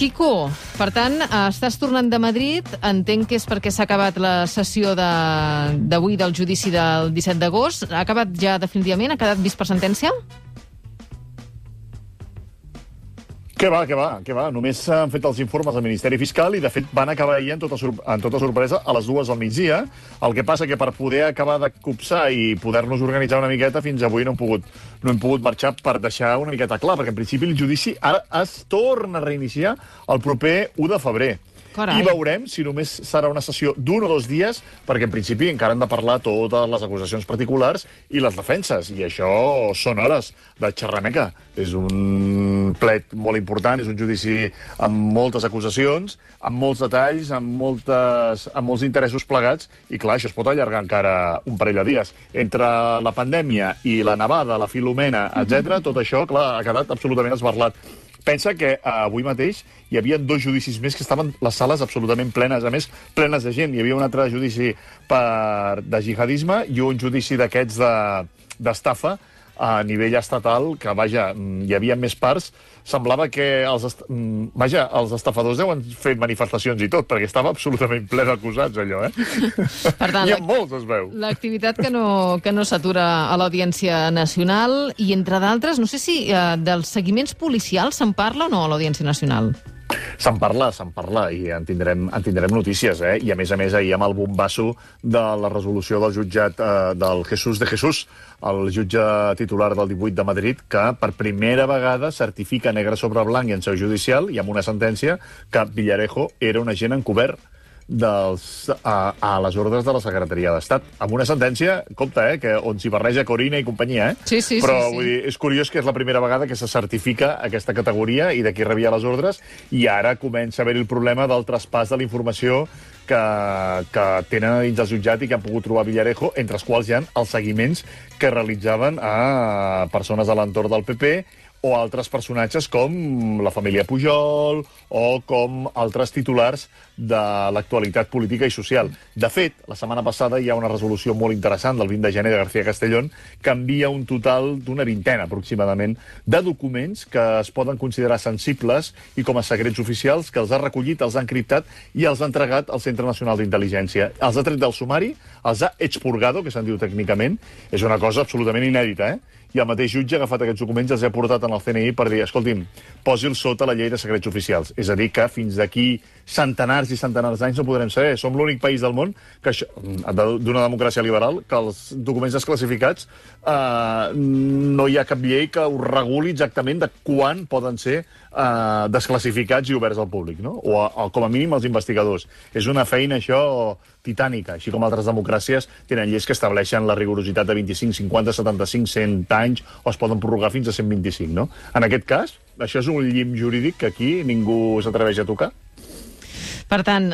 Quico, per tant, estàs tornant de Madrid. Entenc que és perquè s'ha acabat la sessió d'avui del judici del 17 d'agost. Ha acabat ja definitivament? Ha quedat vist per sentència? Què va. Només s'han fet els informes al Ministeri Fiscal i, de fet, van acabar ahir en tota sorpresa a les 2 del migdia. El que passa que per poder acabar de copsar i poder-nos organitzar una miqueta, fins avui no hem pogut marxar per deixar una miqueta clar, perquè en principi el judici ara es torna a reiniciar el proper 1 de febrer. Carai. I veurem si només serà una sessió d'1 o 2 dies, perquè en principi encara han de parlar totes les acusacions particulars i les defenses, i això són hores de xerrameca. És un plet molt important, és un judici amb moltes acusacions, amb molts detalls, amb molts interessos plegats, i clar, això es pot allargar encara un parell de dies. Entre la pandèmia i la nevada, la Filomena, etc., tot això, clar, ha quedat absolutament esbarlat. Pensa que avui mateix hi havia 2 judicis més que estaven les sales absolutament plenes, a més, plenes de gent. Hi havia un altre judici de jihadisme i un judici d'aquests d'estafa a nivell estatal, que, vaja, hi havia més parts. Semblava que els estafadors deuen fer manifestacions i tot, perquè estava absolutament ple d'acusats, allò, Per tant, Hi ha molts, es veu. L'activitat que no s'atura a l'Audiència Nacional i, entre d'altres, no sé si dels seguiments policials se'n parla o no a l'Audiència Nacional. Se'n parla, i en tindrem notícies, I a més, ahir amb el bombasso de la resolució del jutjat del Jesús de Jesús, el jutge titular del 18 de Madrid, que per primera vegada certifica negre sobre blanc i en seu judicial, i amb una sentència, que Villarejo era un agent encobert a les ordres de la Secretaria d'Estat. Amb una sentència, compte, que on s'hi barreja Corina i companyia, Sí. Però vull dir, és curiós que és la primera vegada que se certifica aquesta categoria i de qui rebia les ordres, i ara comença a haver el problema del traspàs de la informació que tenen a dins del jutjat i que han pogut trobar Villarejo, entre els quals hi ha els seguiments que realitzaven a persones a l'entorn del PP o altres personatges com la família Pujol o com altres titulars de l'actualitat política i social. De fet, la setmana passada hi ha una resolució molt interessant del 20 de gener de García Castellón que envia un total d'una vintena, aproximadament, de documents que es poden considerar sensibles i com a secrets oficials, que els ha recollit, els ha encriptat i els ha entregat al Centre Nacional d'Intel·ligència. Els ha tret del sumari, els ha expurgado, que se'n diu tècnicament. És una cosa absolutament inèdita, I el mateix jutge ha agafat aquests documents i els ha portat en el CNI per dir, escolti'm, posi'ls sota la llei de secrets oficials. És a dir, que fins d'aquí centenars i centenars d'anys no podrem saber. Som l'únic país del món d'una democràcia liberal que els documents desclassificats no hi ha cap llei que ho reguli exactament de quan poden ser desclassificats i oberts al públic, no? O com a mínim als investigadors. És una feina, això, titànica, així com altres democràcies tenen lleis que estableixen la rigorositat de 25, 50, 75, 100 anys, o es poden prorrogar fins a 125, no? En aquest cas, això és un llim jurídic que aquí ningú s'atreveix a tocar. Per tant,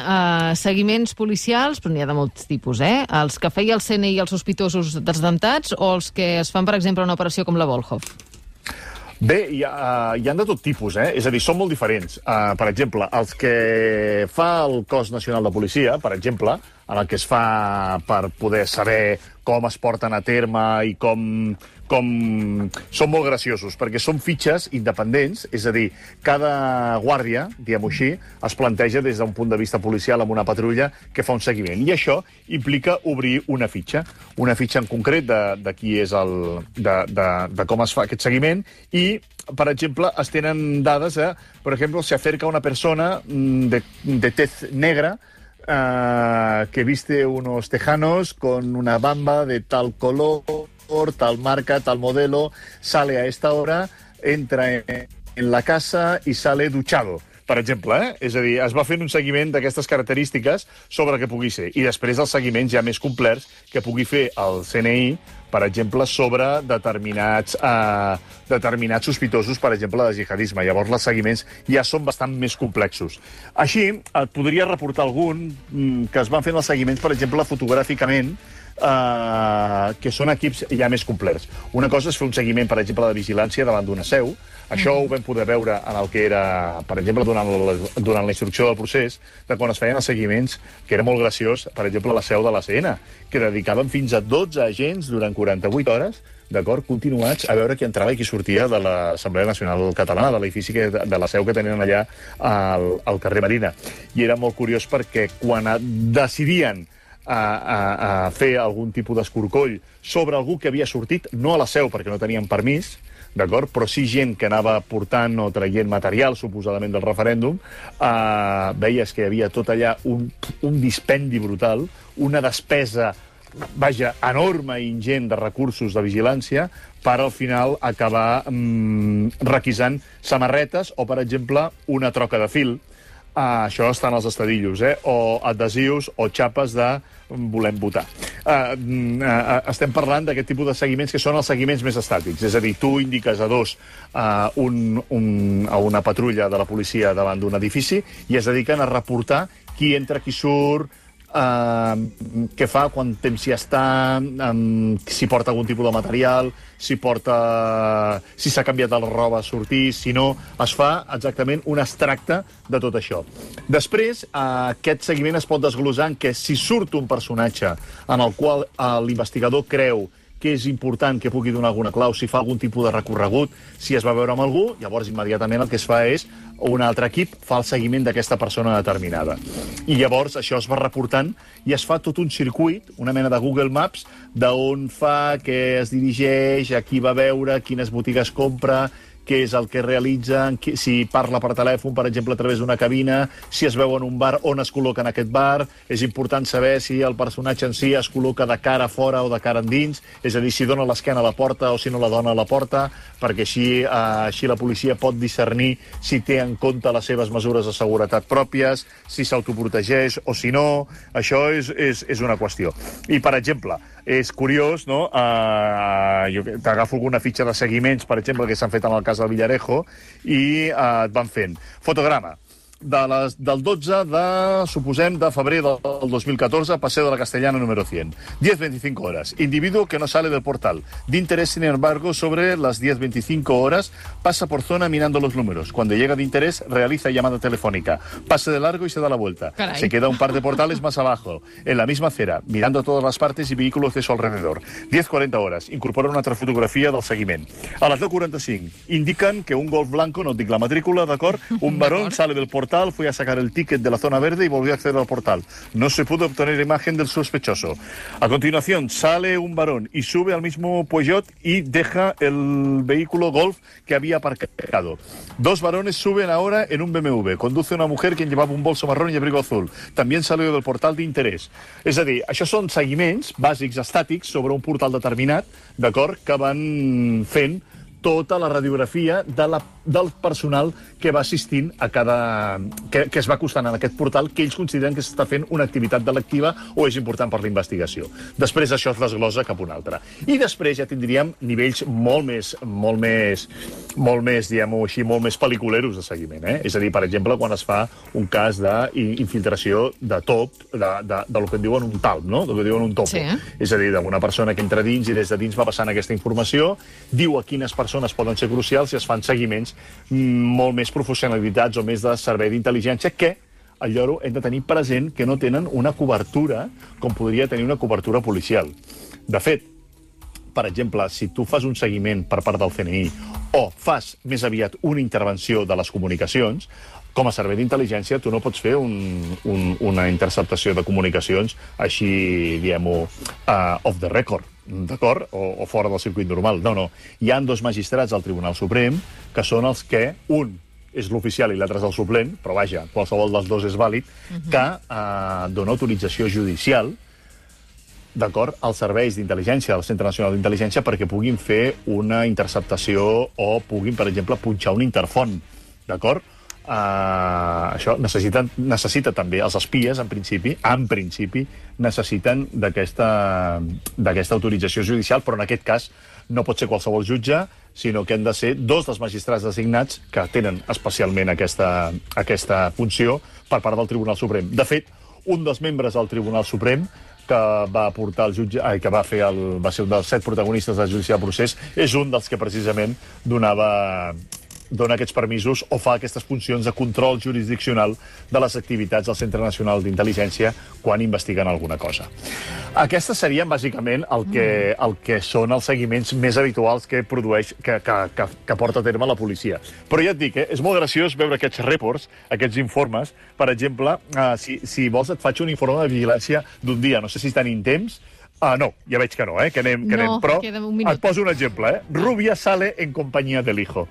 seguiments policials, però n'hi ha de molts tipus, Els que feia el CNI i els sospitosos dels atemptats o els que es fan, per exemple, una operació com la Volhov? Bé, hi ha de tot tipus, És a dir, són molt diferents. Per exemple, els que fa el Cos Nacional de Policia, per exemple, en el que es fa per poder saber com es porten a terme i com són molt graciosos, perquè són fitxes independents, és a dir, cada guàrdia, diguem-ho així, es planteja des d'un punt de vista policial amb una patrulla que fa un seguiment. I això implica obrir una fitxa en concret de qui és de com es fa aquest seguiment i, per exemple, es tenen dades per exemple, se acerca una persona de tez negra que viste unos tejanos con una bamba de tal color, tal marca, tal modelo, sale a esta hora, entra en la casa y sale duchado, per exemple, És a dir, es va fent un seguiment d'aquestes característiques sobre què pugui ser. I després els seguiments ja més complerts que pugui fer el CNI, per exemple, sobre determinats sospitosos, per exemple, de jihadisme. Llavors, els seguiments ja són bastant més complexos. Així, et podria reportar algun que es van fent els seguiments, per exemple, fotogràficament, que són equips ja més complets. Una cosa és fer un seguiment, per exemple, de vigilància davant d'una seu, Això ho vam poder veure en el que era, per exemple, durant la instrucció del procés, de quan es feien els seguiments, que era molt graciós, per exemple, a la seu de l'ACN, que dedicaven fins a 12 agents durant 48 hores, d'acord, continuats, a veure qui entrava i qui sortia de l'Assemblea Nacional Catalana, de l'edifici de la seu que tenien allà al carrer Marina. I era molt curiós perquè quan decidien a fer algun tipus d'escorcoll sobre algú que havia sortit, no a la seu perquè no tenien permís, d'acord, però sí gent que anava portant o traient material, suposadament, del referèndum, veies que hi havia tot allà un dispendi brutal, una despesa vaja, enorme i ingent de recursos de vigilància per al final acabar requisant samarretes o, per exemple, una troca de fil. Això està en els estadillos, o adhesius o xapes de volem votar. Estem parlant d'aquest tipus de seguiments que són els seguiments més estàtics. És a dir, tu indiques a dos a una patrulla de la policia davant d'un edifici i es dediquen a reportar qui entra, qui surt, què fa, quant temps hi està, si porta algun tipus de material, si s'ha canviat la roba a sortir, si no, es fa exactament un extracte de tot això. Després, aquest seguiment es pot desglossar en què si surt un personatge en el qual l'investigador creu que és important que pugui donar alguna clau, si fa algun tipus de recorregut, si es va veure amb algú, llavors immediatament el que es fa és un altre equip fa el seguiment d'aquesta persona determinada. I llavors això es va reportant i es fa tot un circuit, una mena de Google Maps, d'on fa, què es dirigeix, a qui va veure, quines botigues compra, què és el que realitza, si parla per telèfon, per exemple, a través d'una cabina, si es veu en un bar, on es col·loca en aquest bar. És important saber si el personatge en si es col·loca de cara a fora o de cara endins, és a dir, si dona l'esquena a la porta o si no la dona a la porta, perquè així la policia pot discernir si té en compte les seves mesures de seguretat pròpies, si s'autoprotegeix o si no. Això és una qüestió. I, per exemple, és curiós, no? Jo t'agafo alguna fitxa de seguiments, per exemple, que s'han fet en el cas del Villarejo, i et van fent fotograma del 12 suposem, de febrer del 2014, Paseo de la Castellana número 100. 10:25 horas. Individuo que no sale del portal. De interés, sin embargo, sobre las 10:25 horas, pasa por zona mirando los números. Cuando llega de interés, realiza llamada telefónica. Pasa de largo y se da la vuelta. Caray. Se queda un par de portales más abajo, en la misma acera, mirando a todas las partes y vehículos de su alrededor. 10:40 horas. Incorpora una altra fotografia del seguiment. A les 10:45 indican que un Golf blanco, no et dic la matrícula, d'acord? Un varón sale del portal, fue a sacar el ticket de la zona verde y volvió a acceder al portal. No se pudo obtener imagen del sospechoso. A continuación, sale un varón y sube al mismo Peugeot y deja el vehículo Golf que había aparcado. Dos varones suben ahora en un BMW. Conduce una mujer quien llevaba un bolso marrón y abrigo azul. También salió del portal de interés. És a dir, això són seguiments bàsics estàtics sobre un portal determinat, d'acord, que van fent tota la radiografia del personal que va assistint a que es va acostant en aquest portal, que ells consideren que s'està fent una activitat delictiva o és important per la investigació. Després això es desglossa cap a un altre. I després ja tindríem nivells molt més, diguem-ho així, molt més pel·liculeros de seguiment. És a dir, per exemple, quan es fa un cas d'infiltració de top, del que en diuen un talp, no? Del que diuen un topo. Sí. És a dir, d'una persona que entra dins i des de dins va passant aquesta informació, diu a quines persones poden ser crucials i es fan seguiments molt més professionalitats o més de servei d'intel·ligència que, al lloro, hem de tenir present que no tenen una cobertura com podria tenir una cobertura policial. De fet, per exemple, si tu fas un seguiment per part del CNI o fas més aviat una intervenció de les comunicacions, com a servei d'intel·ligència tu no pots fer una interceptació de comunicacions així, diguem-ho, off the record, d'acord? O fora del circuit normal. No. Hi ha dos magistrats al Tribunal Suprem que són els que, un és l'oficial i l'altre és el suplent, però vaja, qualsevol dels dos és vàlid, que dona autorització judicial, d'acord, als serveis d'intel·ligència del Centre Nacional d'Intel·ligència perquè puguin fer una interceptació o puguin, per exemple, punxar un interfon, d'acord? Això necessita també, els espies, en principi, necessiten d'aquesta autorització judicial, però en aquest cas no pot ser qualsevol jutge, sinó que han de ser dos dels magistrats designats que tenen especialment aquesta funció per part del Tribunal Suprem. De fet, un dels membres del Tribunal Suprem que va portar el jutge, que va ser un dels 7 protagonistes del judici del procés, és un dels que precisament donava dona aquests permisos o fa aquestes funcions de control jurisdiccional de les activitats del Centre Nacional d'Intel·ligència quan investiguen alguna cosa. Aquestes serien, bàsicament, el que són els seguiments més habituals que produeix, que porta a terme la policia. Però ja et dic, és molt graciós veure aquests reports, aquests informes. Per exemple, si vols et faig un informe de vigilància d'un dia. No sé si tenim temps. No, ja veig que no, que anem. Però et poso un exemple, Rubia sale en companyia del hijo.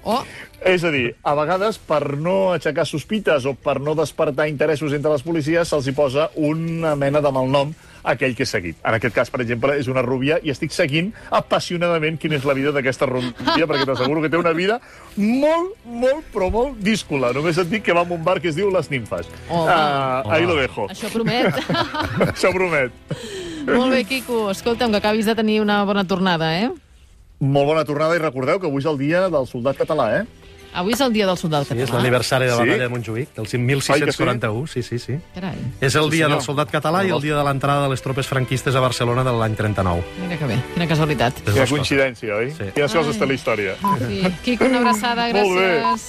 És a dir, a vegades, per no aixecar sospites o per no despertar interessos entre les policies, se'ls hi posa una mena de malnom a aquell que és seguit. En aquest cas, per exemple, és una rubia i estic seguint apassionadament quina és la vida d'aquesta rubia, perquè t'asseguro que té una vida molt díscola. Només et dic que va a un bar que es diu Les Nimfes. Ahí lo dejo. Això promet. Això promet. Molt bé, Quico. Escolta'm, que acabis de tenir una bona tornada, Molt bona tornada i recordeu que avui és el dia del soldat català, Avui és el dia del soldat català. Sí, és l'aniversari de la batalla de Montjuïc, del 1641. Sí. Carai. És el dia del soldat català i el dia de l'entrada de les tropes franquistes a Barcelona de l'any 39. Mira que bé, quina casualitat. Quina coincidència, oi? Sí. Quines coses té la història. Quico, una abraçada, gràcies.